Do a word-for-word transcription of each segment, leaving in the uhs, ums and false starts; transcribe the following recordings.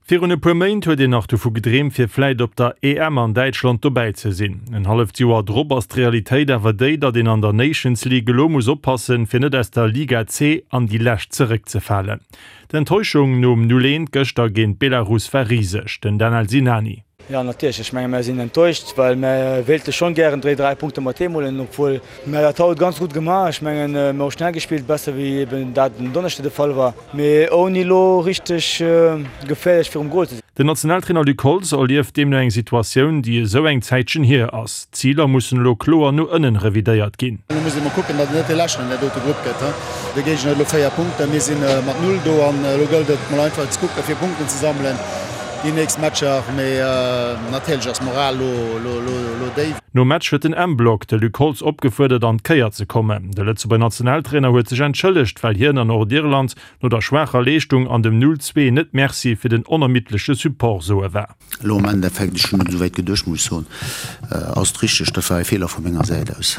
Virun e puer Méint huet een nach dovu gedreemt, fir vläit op der E M an Däitschland dobäi ze sinn. En halleft Joer drop ass d'Realitéit awer déi, datt een an der Nations League elo muss oppassen, fir net aus der Liga C an déi lescht zeréckzefalen. D'Enttäuschung nom null eent gëschter géint Belarus war riseg, den Danel Sinani. Jo, natierlech, ech menge mir sinn enttäuscht, well mir wéilte schonn gären dräi dräi Punkte mat heem huelen, obwuel mir dat haut ganz gutt gemaach. Ech mengen, mir hu schnell gespillt, besser wéi eben dat den Donneschde de Fall war, mee ouni elo richteg geféierlech virum Gol ze sinn. Den Nationaltrainer Luc Holtz erlieft deemno eng Situatioun, déi esou eng Zäitchen hier ass. D'Ziler mussen elo kloer no ënnen revidéiert ginn. Elo muss ee mol kucken, datt et net dee Leschten an där dote Grupp gëtt. De Géigner huet elo véier Punkten, mir si mat null do an elo gëllt et mol einfach ze kucken, fir Punkten ze sammelen déi nächst Matcher. Mee natierlech ass d'Moral elo déif. Nom Match huet den M-Block de Luc Holtz opgefuerdert, an d'Kéier ze kommen. De Lëtzebuerger Nationaltrainer huet sech entschëllegt, well hien an Nordirland no der schwaacher Leeschtung an dem null zwee net Merci fir den onermiddleche Support soe war. Elo am Endeffekt, ech hunn net esou wäit geduecht, muss ech soen, ass et richteg, dat war e Feeler vu menger Säit aus.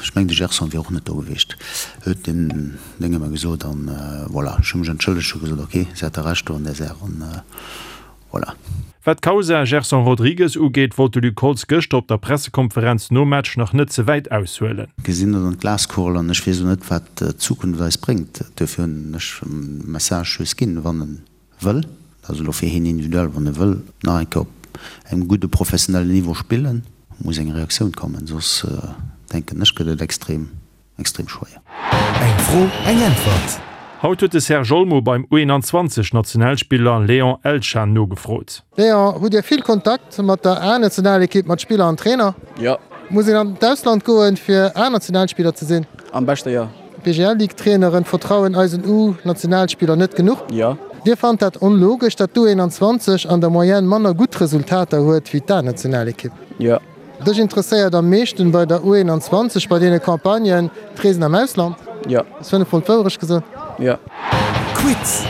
Ech mengen, de Gerson wier och net do gewiescht, huet den Dénge mer gesot. An voilà, ech hu mech entschëllegt, hu gesot, ok, se hat Recht do an där Saach. An voilà. Wat d'Kausa Gerson Rodrigues ugeet, wollt de Luc Holtz gëschter op der Pressekonferenz nom Match nach net ze wäit aushuelen. Gesinn net an d'Glaskugel an ech weess och net, wat d'Zukunft eis bréngt. Duerfir hunn ech e Message just ginn, wann e wëll, dat ass elo fir hien individuell, wann e wëll nach eng Kéier op engem gudde professionellen Niveau spillen, muss eng Reaktioun kommen, soss denken ech gëtt et extrem Extrem schwéier. Eng Fro, eng Äntwert! Haut huet de Serge Olmo beim U eenanzwanzeg Nationalspiller Léon Elchan nogefrot. Léon, hutt Dir vill Kontakt mat der A-Nationalekipp, mat Spiller an Trainer? Jo. Muss een an d'Ausland goen, fir A-Nationalspiller ze sinn? Am beschte jo. D'B G L Ligue-Traineren vertrauen eisen U-Nationalspiller net genuch? Jo. Dir fannt dat onlogesch, datt d'U eenanzwanzeg an der Moyenne manner gutt Resultater huet wéi d'A-Nationalekipp? Jo. Dech interesséiert am meeschten bei der U eenanzwanzeg bei deene Campagnen d'Reesen am Ausland? Jo. Ass fënnef mol d'Wourecht gesot? Jo. Quiz.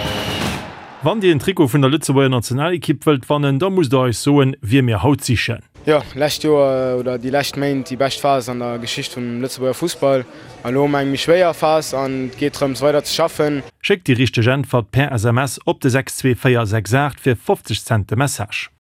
Wann Dir en Trikot vun der Lëtzebuerger Nationalekipp wëllt wannen, da musst der eis soen, wie mir haut sichen. Jo, lescht Joer oder déi lescht Méint déi bescht Phas an der Geschicht vum Lëtzebuerger Fussball. An elo hu mer eng méi schwéier Phas an et geet drëms weider ze schaffen. Schéckt déi richteg Äntwert per S M S op de sechs zwee véier sechs aacht fir fofzeg Cent de Message.